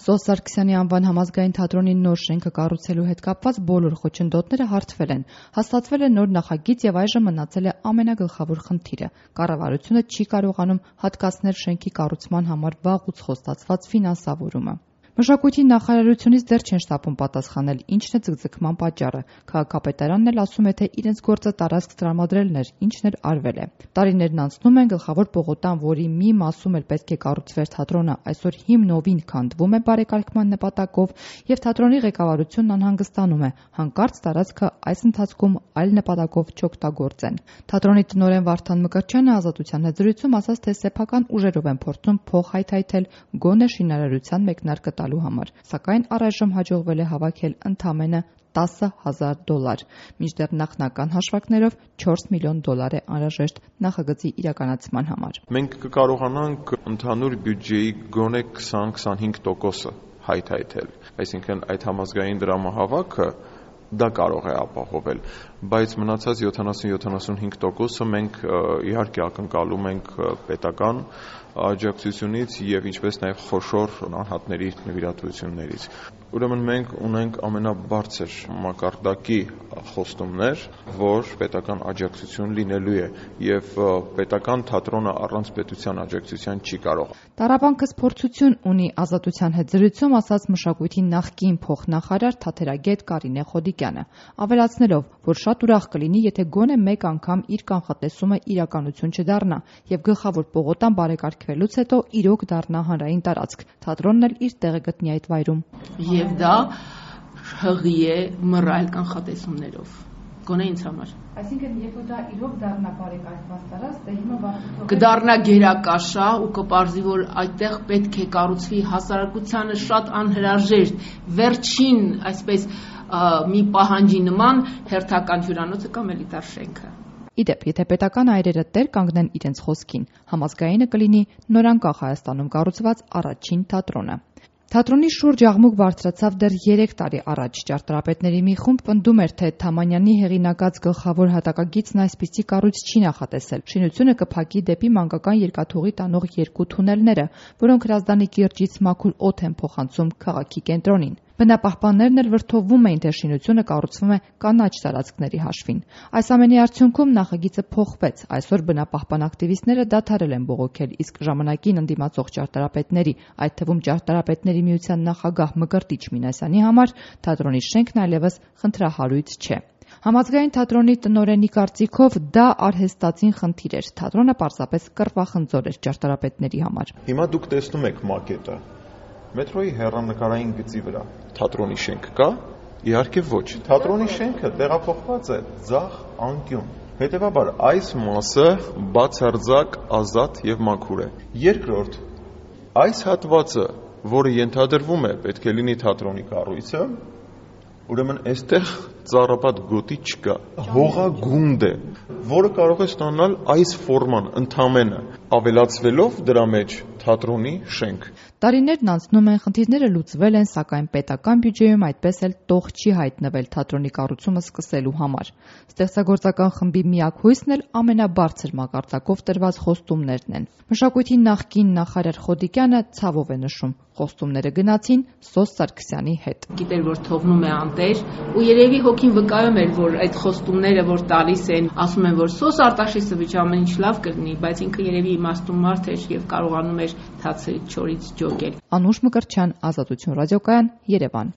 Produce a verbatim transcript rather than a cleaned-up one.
Սոս Սարգսյանի անվան համազգային թատրոնի նոր շենքը կառուցելու հետ կապված բոլոր խոչընդոտները հարթվել են։ Հաստատվել է նոր նախագիծ եւ այժմ մնացել է ամենագլխավոր խնդիրը։ Կառավարությունը չի կարողանում հատկացնել շենքի կառուցման համար վաղուց խոստացված ֆինանսավորումը։ Մշակույթի նախարարությունից դեռ չեն շտապում պատասխանել, ինչն է ձգձգման պատճառը։ Քաղաքապետարանն էլ ասում է, թե իրենց գործը տարածք տրամադրելն էր, ինչն էլ արվել է։ Տարիներն անցնում են, գլխավոր պողոտան, որի մի մասում էլ պետք է կառուցվեր թատրոնը, այսօր հիմնովին քանդվում է բարեկարգման նպատակով, եւ թատրոնի ղեկավարությունն անհանգստանում է, հանկարծ տարածքը այս ընթացքում այլ նպատակով չօգտագործեն։ Թատրոնի տնօրեն Վարդան Մկրտչյանը Ազատության հետ զրույցում ասաց, թե սեփական ուժերով են փորձում փող հայթայթել գոնե շինարարության մեկնարկը տալու համար, սակայն առայժմ հաջողվել է հավաքել ընդամենը տասը հազար դոլար, մինչդեռ նախնական հաշվարկներով չորս միլիոն դոլար է անհրաժեշտ նախագծի իրականացման համար։ Մենք կկարողանանք ընդհանուր բյուջեի գոնե քսան-քսանհինգ տոկոսը հայթայթել, այսինքն այդ համազգային դրամահավաքը դա կարող է ապահովել, բայց մնացած յոթանասուն-յոթանասունհինգ տոկոսը մենք իհարկե ակնկալում ենք պետական աջակցությունից եւ ինչպես նաեւ խոշոր անհատների նվիրատվություններից։ Ուրեմն մենք ունենք ամենաբարձր մակարդակի խոստումներ, որ պետական աջակցություն լինելու է եւ պետական թատրոնը առանց պետության աջակցության չի կարող։ Տառապանքս փորձություն ունի Ազատության հետ զրույցում ասաց մշակույթի նախկին փոխնախարար թատերագետ Կարինե Խոդիկյանը, ավելացնելով, որ շատ ուրախ կլինի, եթե գոնե մեկ անգամ իր կանխատեսումը իրականություն չդառնա եւ գլխավոր պողոտան բարեկարգվելուց հետո իրոք դառնա հանրային տարածք, թատրոնն էլ իր տեղը գտնի այդ վայրում։ Եվ դա հղի է մռայլ կանխատեսումներով, գոնե ինձ համար։ Այսինքն, եթե դա իրոք դառնա բարեկարգված տարածք, դե հիմա վաղուց կդառնա գերակաշա ու կպարզի, որ այդտեղ պետք է կառուցվի հասարակությանը շատ անհրաժեշտ վերջին, այսպես մի պահանջի նման հերթական հյուրանոցը կամ էլիտար շենքը։ Իդեպ, եթե պետական այրերը տեր կանգնեն իրենց խոսքին, համազգայինը կլինի նորանկախ Հայաստանում կառուցված առաջին թատրոնը։ Թատրոնի շուրջ աղմուկ բարձրացավ դեռ երեք տարի առաջ։ Ճարտարապետների մի խումբ պնդում էր, թե Թամանյանի հեղինակած գլխավոր հատակագիծն այսպիսի կառույց չի նախատեսել։ Շինությունը կփակի դեպի մանկական երկաթուղի տանող երկու թունելները, որոնք Հրազդանի կիրճից մաքուր օդ են փոխանցում քաղաքի կենտրոնին։ Բնապահպաններն էլ վրդովվում էին, թե շինությունը կառուցվում է կանաչ տարածքների հաշվին։ Այս ամենի արդյունքում նախագիծը փոխվեց։ Այսօր բնապահպան ակտիվիստները դադարել են բողոքել, իսկ ժամանակին ընդդիմացող ճարտարապետների, այդ թվում ճարտարապետների միության նախագահ Մկրտիչ Մինասյանի համար թատրոնի շենքն այլևս խնդրահարույց չէ։ Համազգային թատրոնի տնօրենի կարծիքով դա արհեստածին խնդիր էր։ Թատրոնը պարզապես կռվախնձոր էր ճարտարապետների համար։ Հիմա դուք տեսնում եք մակետը մետրոյի հեռանկարային գծի վրա թատրոնի շենք կա, իհարկե ոչ։ Թատրոնի շենքը տեղափոխված է ձախ անկյուն։ Հետևաբար այս մասը բացարձակ ազատ եւ մաքուր է։ Երկրորդ, այս հատվածը, որը ենթադրվում է պետք է լինի թատրոնի կառույցը, ուրեմն այստեղ ծառապատ գոտի չկա, հողագունդ է, որը կարող է ստանալ այս ֆորման ընդամենը, ավելացվելով դրա մեջ թատրոնի շենք։ Տարիներն անցնում են, խնդիրները լուծվել են, սակայն պետական բյուջեում այդպես էլ տող չի հայտնվել թատրոնի կառուցումը սկսելու համար։ Ստեղծագործական խմբի միակ հույսն էլ ամենաբարձր մակարդակով տրված խոստումներն են։ Մշակույթի նախկին նախարար Խոդիկյանը ցավով է նշում, խոստումները գնացին Սոս Սարգսյանի հետ։ Գիտեր, որ թողնում է անտեր, ու երևի հոգին վկայում էր, որ այդ խոստումները, որ տալիս են, ասում են, որ Սոս Արտաշեսովիչ ամեն ինչ լավ կլինի, բայց ինքը երևի իմաստուն մարդ էր եւ կարողանում էր թացերից չորից ջոկել։ Անուշ Մկրտչյան, Ազատություն ռադիոկայան, Երևան։